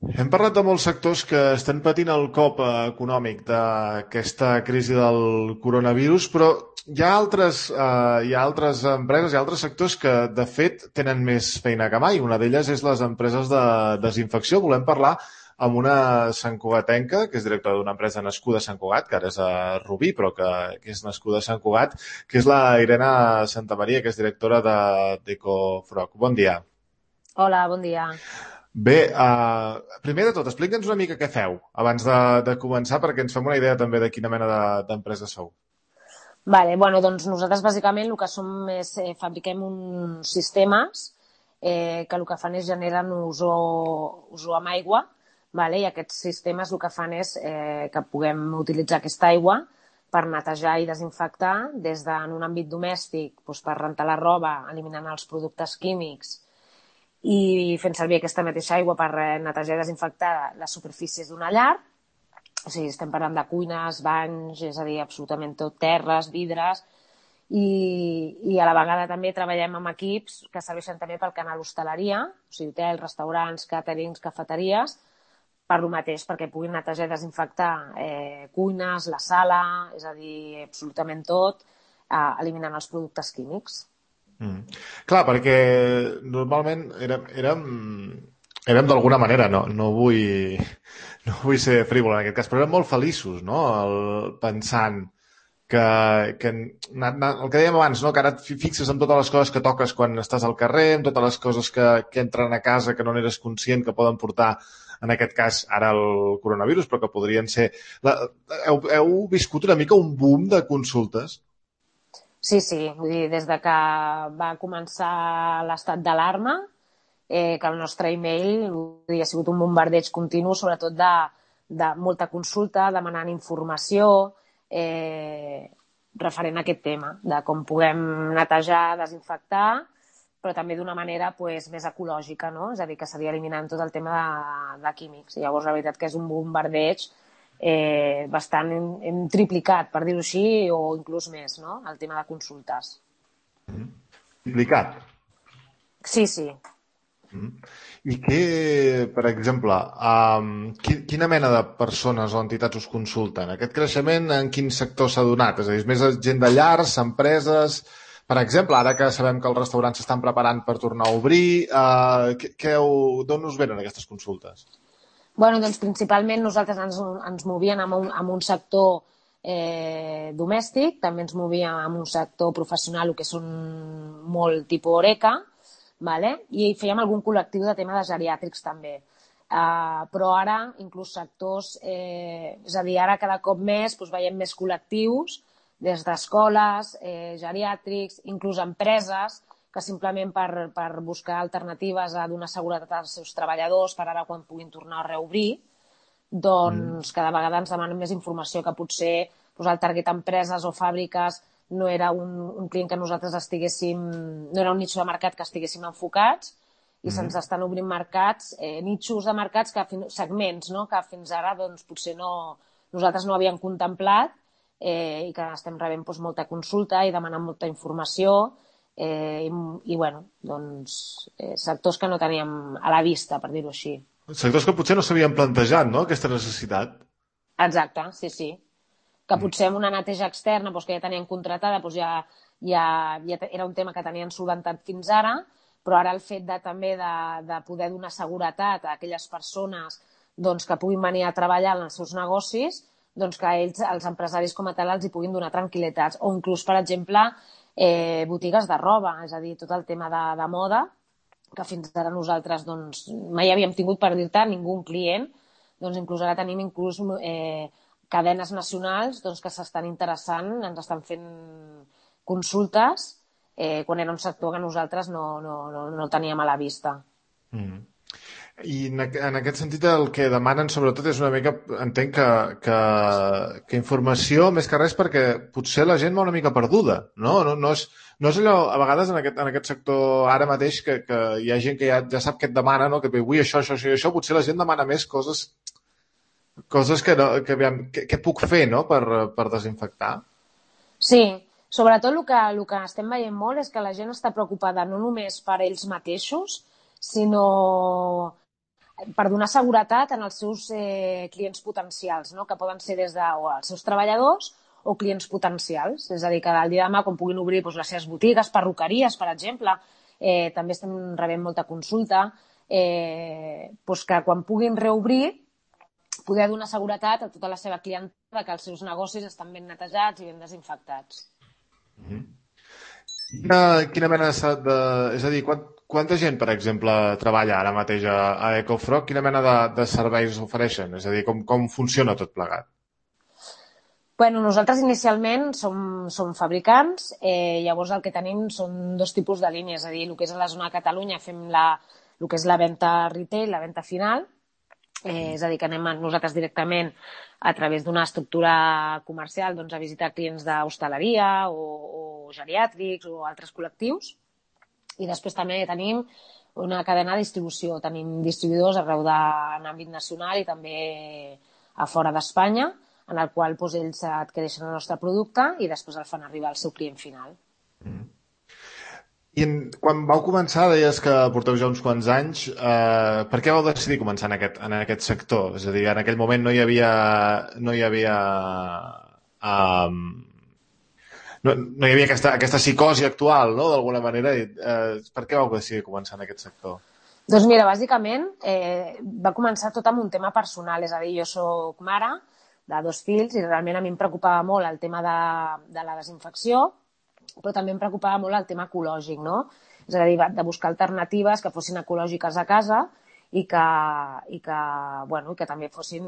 Hem parlat de molts sectors que estan patint el cop econòmic d'aquesta crisi del coronavirus, però hi ha altres empreses, hi ha altres sectors que, de fet, tenen més feina que mai. Una d'elles és les empreses de desinfecció. Volem parlar amb una santcugatenca, que és directora d'una empresa nascuda a Sant Cugat, que ara és a Rubí, però que és nascuda a Sant Cugat, que és la Irene Santamaria, que és directora d'Ecofrog. Bon dia. Hola, bon dia. Bé, primer de tot, explica'ns una mica què feu abans de començar perquè ens fem una idea també de quina mena d'empresa sou. Bueno, doncs nosaltres bàsicament el que som és fabriquem uns sistemes que el que fan és generen ozó amb aigua, vale? I aquests sistemes el que fan és que puguem utilitzar aquesta aigua per netejar i desinfectar des d'en un àmbit domèstic, doncs per rentar la roba, eliminant els productes químics i fent servir aquesta mateixa aigua per netejar i desinfectar les superfícies d'una llar. O sigui, estem parlant de cuines, banys, és a dir, absolutament tot, terres, vidres, i a la vegada també treballem amb equips que serveixen també pel canal hostaleria, o sigui, hotels, restaurants, càterings, cafeteries, per lo mateix, perquè puguin netejar i desinfectar cuines, la sala, és a dir, absolutament tot, eliminant els productes químics. Mm. Clar, perquè normalment érem d'alguna manera, no vull ser frívol en aquest cas, però érem molt feliços, no? Pensant que el que dèiem abans, no? Que ara et fixes en totes les coses que toques quan estàs al carrer, en totes les coses que entren a casa que no n'eres conscient que poden portar, en aquest cas, ara el coronavirus, però que podrien ser... Heu viscut una mica un boom de consultes? Sí, sí, vull dir, des de que va començar l'estat d'alarma, que el nostre email vull dir, ha sigut un bombardeig continu, sobretot de molta consulta, demanant informació referent a aquest tema, de com puguem netejar, desinfectar, però també d'una manera pues, més ecològica, no? És a dir, que seria eliminant tot el tema de químics. I llavors, la veritat que és un bombardeig bastant hem triplicat, per dir-ho així, o inclús més, no? El tema de consultes. Complicat. Sí, sí. Mm. I què, per exemple, quina mena de persones o entitats us consulten? Aquest creixement en quin sector s'ha donat? És a dir, és més gent de llars, empreses... Per exemple, ara que sabem que els restaurants s'estan preparant per tornar a obrir, d'on us venen aquestes consultes? Bueno, doncs principalment nosaltres ens movíem en un sector domèstic, també ens movíem en un sector professional, el que són molt tipus Oreca, vale? I fèiem algun col·lectiu de tema de geriàtrics també. Però ara, inclús sectors, és a dir, ara cada cop més doncs, veiem més col·lectius, des d'escoles, geriàtrics, inclús empreses, que simplement per buscar alternatives a donar seguretat als seus treballadors per ara quan puguin tornar a reobrir, Mm. doncs cada vegada ens demanen més informació que potser doncs, el target empreses o fàbriques no era un client que nosaltres estiguéssim, no era un nicho de mercat que estiguéssim enfocats i se'ns Mm. estan obrint mercats, nichos de mercats, segments, no? Que fins ara doncs, potser nosaltres no havíem contemplat i que estem rebent doncs, molta consulta i demanant molta informació i bueno, doncs, sectors que no teníem a la vista, per dir-ho així. Sectors que potser no s'havien plantejat, no?, aquesta necessitat. Exacte, sí, sí. Que Mm. potser amb una neteja externa doncs, que ja tenien contratada doncs ja era un tema que tenien solventat fins ara, però ara el fet també de poder donar seguretat a aquelles persones doncs, que puguin venir a treballar en els seus negocis, doncs que ells, els empresaris com a tal, els hi puguin donar tranquil·litats. O inclús, per exemple, botigues de roba, és a dir, tot el tema de moda, que fins ara nosaltres doncs, mai havíem tingut, per dir-te, ningú un client, doncs inclús ara tenim cadenes nacionals doncs, que s'estan interessant, ens estan fent consultes quan era un sector que nosaltres no teníem a la vista. Mm. I en aquest sentit el que demanen sobretot és una mica, entenc que informació més que res perquè potser la gent va una mica perduda, no? No és allò, a vegades en aquest sector ara mateix que hi ha gent que ja sap què et demana, no? Que vull això, això, això i això, potser la gent demana més coses que, no, que, aviam, què puc fer, no? Per desinfectar. Sí, sobretot el que estem veient molt és que la gent està preocupada no només per ells mateixos, sinó per donar seguretat en els seus clients potencials, no? Que poden ser des de o els seus treballadors o clients potencials. És a dir, que el dia de demà, quan puguin obrir les seves botigues, perruqueries, per exemple, també estem rebent molta consulta, que quan puguin reobrir poder donar seguretat a tota la seva clientela que els seus negocis estan ben netejats i ben desinfectats. Quina mena de... És a dir, quanta gent, per exemple, treballa ara mateix a EcoFrog? Quina mena de serveis ofereixen? És a dir, com funciona tot plegat? Bueno, nosaltres inicialment som fabricants, llavors el que tenim són dos tipus de línies, és a dir, el que és a la zona de Catalunya fem el que és la venda retail, la venda final, és a dir, que anem nosaltres directament a través d'una estructura comercial a visitar clients d'hostaleria o geriàtrics o altres col·lectius, i després també tenim una cadena de distribució, tenim distribuïdors arreu en àmbit nacional i també a fora d'Espanya, en el qual ells adquireixen el nostre producte i després el fan arribar al seu client final. I quan vau començar, deies que porteu ja uns quants anys. Per què vau decidir començar en aquest sector? És a dir, en aquell moment no hi havia aquesta psicosi actual, no?, d'alguna manera. Per què vau decidir començar en aquest sector? Doncs mira, bàsicament va començar tot amb un tema personal, és a dir, jo soc mare de 2 fills i realment a mi em preocupava molt el tema de la desinfecció, però també em preocupava molt el tema ecològic, no? És a dir, de buscar alternatives que fossin ecològiques a casa i que també fossin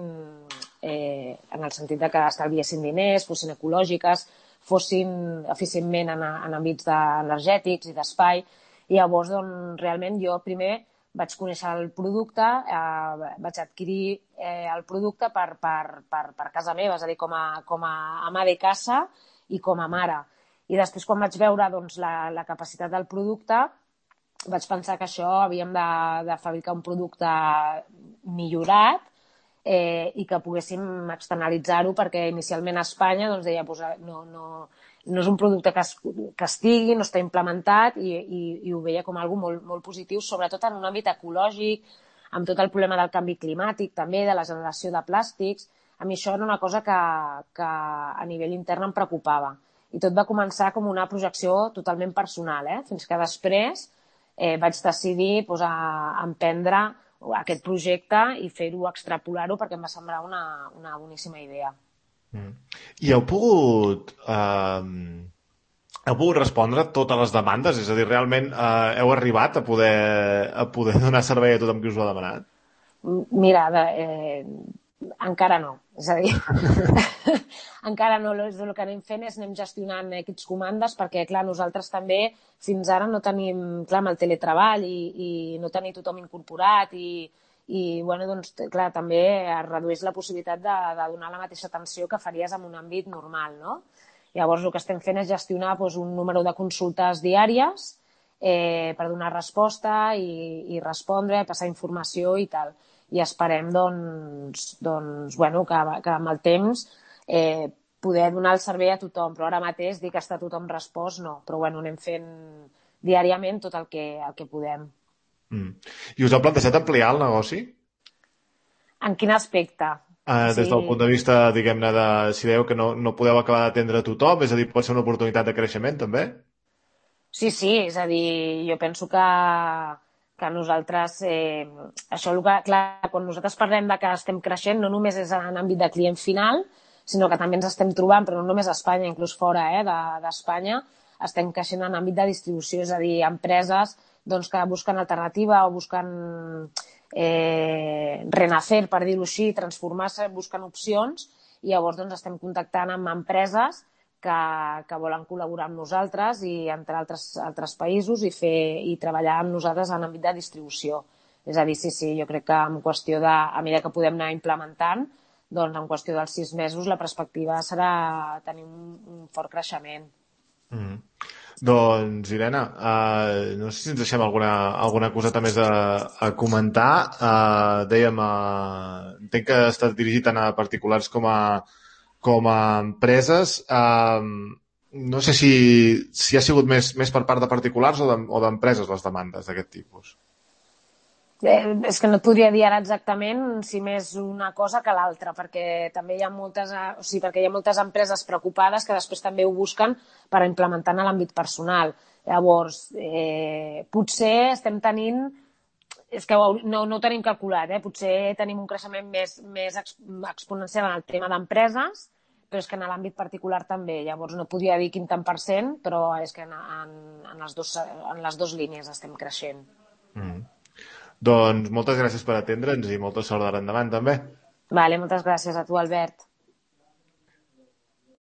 en el sentit de que estalviessin diners, fossin ecològiques, fossin eficientment en àmbits energètics i d'espai. I llavors, realment, jo primer vaig conèixer el producte, vaig adquirir el producte per casa meva, és a dir, com a ama de casa i com a mare. I després, quan vaig veure la capacitat del producte, vaig pensar que això havíem de fabricar un producte millorat i que poguéssim externalitzar-ho, perquè inicialment a Espanya deia no és un producte que estigui, no està implementat, i ho veia com algo molt, molt positiu, sobretot en un àmbit ecològic, amb tot el problema del canvi climàtic, també de la generació de plàstics. A mi això era una cosa que a nivell intern em preocupava. I tot va començar com una projecció totalment personal, fins que després vaig decidir emprendre aquest projecte i fer-ho, extrapolar-ho, perquè em va semblar una boníssima idea. I heu pogut respondre totes les demandes? És a dir, realment heu arribat a poder donar servei a tothom que us ho ha demanat? Mira, encara no. És a dir, encara no. El que anem fent és anem gestionant aquests comandes, perquè, clar, nosaltres també fins ara no tenim, clar, amb el teletreball i no tenir tothom incorporat i clar, també es redueix la possibilitat de donar la mateixa atenció que faries en un àmbit normal, no? Llavors, el que estem fent és gestionar un número de consultes diàries per donar resposta i respondre, passar informació i tal. I esperem que amb el temps poder donar el servei a tothom, però ara mateix dir que està tothom respost no, però anem fent diàriament tot el que podem. I us heu plantejat ampliar el negoci? En quin aspecte? Des del punt de vista, diguem-ne, de si veieu que no podeu acabar d'atendre a tothom, és a dir, pot ser una oportunitat de creixement, també? Sí, és a dir, jo penso que nosaltres, clar, quan nosaltres parlem de que estem creixent, no només és en àmbit de client final, sinó que també ens estem trobant, però no només a Espanya, inclús fora d'Espanya, estem creixent en àmbit de distribució, és a dir, empreses que busquen alternativa o busquen renacer, per dir-ho així, transformar-se, busquen opcions, i llavors estem contactant amb empreses que volen col·laborar amb nosaltres i entre altres països i treballar amb nosaltres en àmbit de distribució. És a dir, sí, jo crec que en qüestió a mesura que podem anar implementant, en qüestió dels 6 mesos la perspectiva serà tenir un fort creixement. Doncs, Irene, no sé si ens deixem alguna coseta més a comentar. Dèiem, entenc que ha estat dirigit tant a particulars com a empreses. No sé si ha sigut més per part de particulars o d'empreses les demandes d'aquest tipus. És que no et podria dir ara exactament si més una cosa que l'altra, perquè també hi ha moltes, o sigui, perquè hi ha moltes empreses preocupades que després també ho busquen per implementar en l'àmbit personal. Llavors, potser estem tenint, és que no ho tenim calculat, potser tenim un creixement més exponencial en el tema d'empreses, però és que en l'àmbit particular també. Llavors no podria dir quin tant per cent, però és que en les dues línies estem creixent. Doncs moltes gràcies per atendre'ns i molta sort d'ara endavant també. Vale, moltes gràcies a tu, Albert.